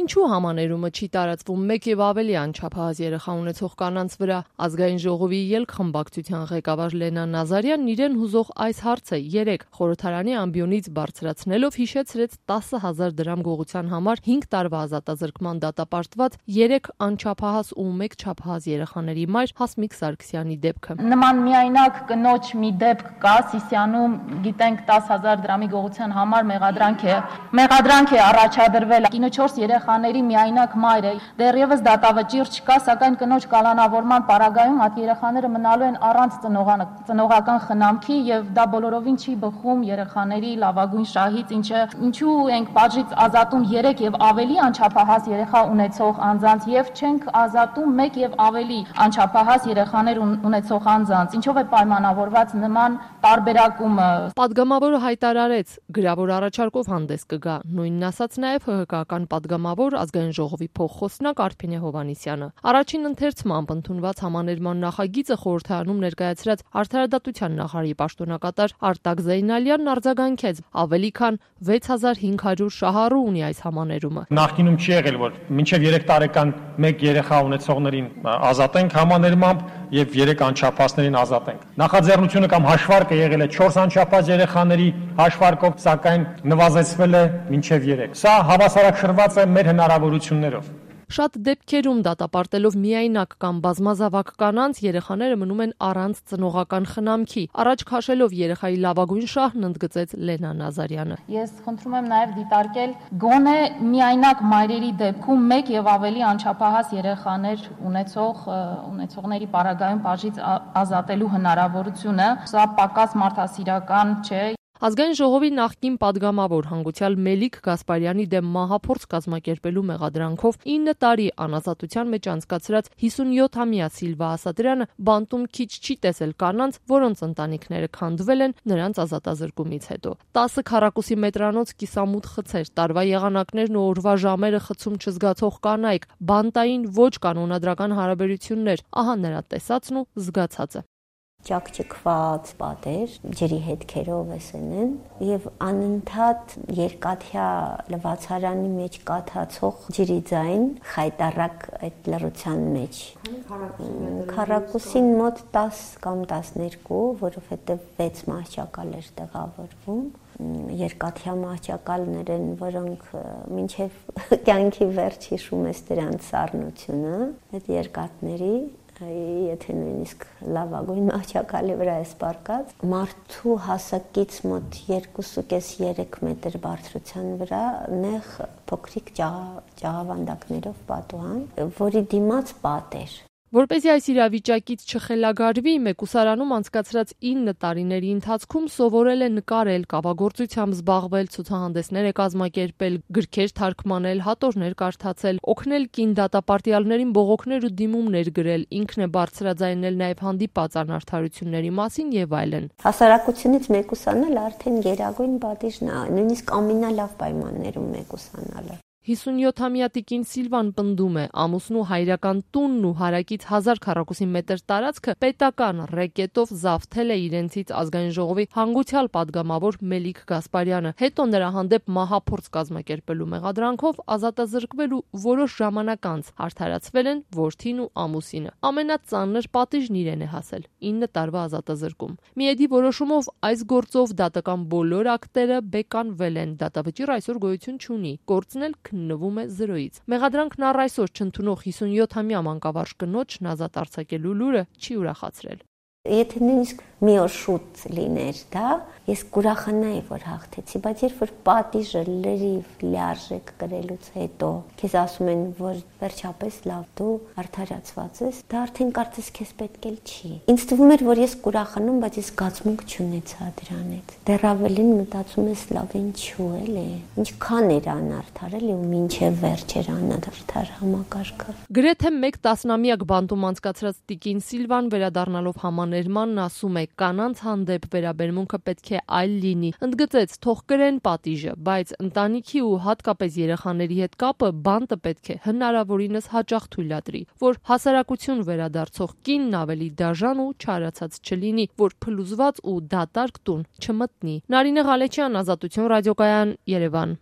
Ինչու համաներումը չի տարածվում մեկ եւ ավելի անչափահաս երեխա ունեցող կանանց վրա։ Ազգային ժողովի ելք խմբակցության ղեկավար Լենա Նազարյանն իրեն հուզող այս հարցը 3 խորհրդարանի ամբիոնից բարձրացնելով հիշեցրեց 10,000 դրամ գողության համար 5 տարվա ազատազրկման դատապարտված 3 անչափահաս ու 1 չափահաս երեխաների մայր Հասմիկ Սարգսյանի դեպքը։ Նման միայնակ կնոջ մի դեպք կա Սիսիանում, գիտենք 10,000 դրամի գողության համար մեղադրանք է առաջադրվել։ Կինը 4 երեխաների միայնակ մայր է։ Դեռևս դատավճիռ չկա, սակայն կնոջ կալանավորման պարագայում այդ երեխաները մնալու են առանց ծնողական խնամքի եւ դա բոլորովին չի բխում երեխաների լավագույն շահից, ինչու ենք պատժից ազատում 3 եւ ավելի անչափահաս երեխա ունեցող անձանց եւ չենք ազատում 1 եւ ավելի անչափահաս երեխաներ ունեցող անձանց, ինչով է պայմանավորված նման տարբերակումը։ Պատգամավորը հայտարարեց, գրավոր առաջարկով հանդես կգա, նույնն ասաց նաեւ ՀՀԿ-ական պատգամավոր ազգային ժողովի փոխխոսնակ Արփինե Հովհաննիսյանը։ Առաջին ընթերցմամբ ընդունված համաներման նախագիծը խորհրդարանում ներկայացրած Արդարադատության նախարարի պաշտոնակատար Արտակ Զեյնալյանն արձագանքեց, ավելի քան 6500 շահառու ունի այս համաներումը։ Նախկինում չի եղել, որ մինչև 3 տարեկան 1 երեխա ունեցողներին ազատենք համաներմամբ եւ 3 անչափահասներին ազատենք։ Նախաձեռնությունը կամ հաշվարկը եղել է 4 անչափահաս երեխաների հաշվարկով, սակայն նվազեցվել է մինչև 3։ Սա հավասարակշռված է մեր հնարավորություններով։ Շատ դեպքերում դատապարտելով միայնակ կամ բազմազավակ կանանց երեխաները մնում են առանց ծնողական խնամքի։ Առաջ քաշելով երեխայի լավագույն շահն ընդգծեց Լենա Նազարյանը։ Ես խնդրում եմ նաև դիտարկել գոնե միայնակ մայրերի դեպքում 1 եւ ավելի անչափահաս երեխաներ ունեցողների պարագայում պատժից ազատելու հնարավորությունը։ Սա պակաս մարդասիրական չէ։ Ազգային ժողովի նախկին պատգամավոր հանգուցյալ Մելիք Գասպարյանի դեմ մահափորձ կազմակերպելու մեղադրանքով 9 տարի անազատության մեջ անցկացրած 57-ամյա Սիլվա Ասատրյանը բանտում քիչ չի տեսել կանանց, որոնց ընտանիքները քանդվել են նրանց ազատազրկումից հետո։ 10 քառակուսի մետրանոց կիսամութ խցեր, տարվա եղանակներն ու օրվա ժամերը խցում չզգացող կանայք, բանտային ոչ կանոնադրական հարաբերություններ, ահա նրա տեսածն ու զգացածը։ Ճակճկված պատեր, ջրի հետքերով էսեն եւ անընդհատ երկաթյա լվացարանի մեջ կաթացող ջրի ձայն խայտարակ այդ լռության մեջ։ Քառակուսին մոտ 10 կամ 12, որովհետեւ 6 մահճակալ էր տեղավորվում։ Երկաթյա մահճակալներ են, որոնք մինչև կյանքի վերջ հիշում ես դրանց սառնությունը, այդ երկաթների եթե նույնիսկ լավագույն մահճակալի վրա է սպարկած, մարդու հասակից մոտ 2.5-3 մետր բարձրության վրա նեղ փոքրիկ ճաղավանդակներով պատուհան, որի դիմաց պատ էր։ Որպեսզի այս իրավիճակից չխելագարվի, մեկուսարանում անցկացրած 9 տարիների ընթացքում սովորել է նկարել, կավագործությամբ զբաղվել, ցուցահանդեսներ է կազմակերպել, գրքեր թարգմանել, հատորներ կարդացել, օգնել կին դատապարտյալներին բողոքներ ու դիմումներ գրել, ինքն է բարձրաձայնել նաև հանդիպած անարդարությունների մասին եւ այլն։ Հասարակությունից մեկուսանել արդեն գերագույն պատիժն է, նույնիսկ ամենալավ պայմաններում մեկուսանալը։ 57-ամյա տիկին Սիլվան պնդում է, ամուսնու հայրական տունն ու հարակից 1000 քառակուսի մետր տարածքը պետական ռեկետով զավթել է իրենցից ազգային ժողովի հանգուցյալ պատգամավոր Մելիք Գասպարյանը, հետո նրա հանդեպ մահափորձ կազմակերպելու մեղադրանքով ազատազրկվել ու որոշ ժամանակ անց արդարացվել են որդին ու ամուսինը։ Ամենածանր պատիժն իրեն է հասել՝ 9 տարվա ազատազրկում։ Միեդի որոշումով այս գործով դատական բոլոր ակտերը բեկանվել են, դատավճիռ այսօր գոյություն չունի, գործն էլ քննվում է 0-ից։ Մեղադրանքն առ այսօր չընդունող 57-ամյա մանկավարժ կնոջն ազատ արձակելու լուրը չի ուրախացրել։ Եթե նույնիսկ մի օր շուտ լիներ դա, ես կուրախանայի, որ հաղթեցի, բայց երբ որ պատիժը լրիվ լիարժեք կրելուց հետո քեզ ասում են, որ վերջապես լավ դու արդարացված ես, դա արդեն կարծես քեզ պետք էլ չի։ Ինձ թվում էր, որ ես կուրախանում, բայց ես զգացմունք չունեցա դրանից։ Դեռ ավելին մտածում ես լավ ինչու էլի, ինչքան էր անարդար էլի ու մինչև վերջ էր անարդար համակարգը։ Գրեթե 1 տասնամյակ բանտում անցկացրած տիկին Սիլվան վերադառնալով համաներմանն ասում է, կանանց հանդեպ վերաբերմունքը պետք է այլ լինի։ Ընդգծեց, թող կրեն պատիժը, բայց ընտանիքի ու հատկապես երեխաների հետ կապը բանտը պետք է հնարավորինս հաճախ թույլատրի, որ հասարակություն վերադարձող կինն ավելի դաժան ու չարացած չլինի, որ փլուզված ու դատարկ տուն չմտնի։ Նարինե Ղալեչյան, Ազատություն ռադիոկայան, Երևան։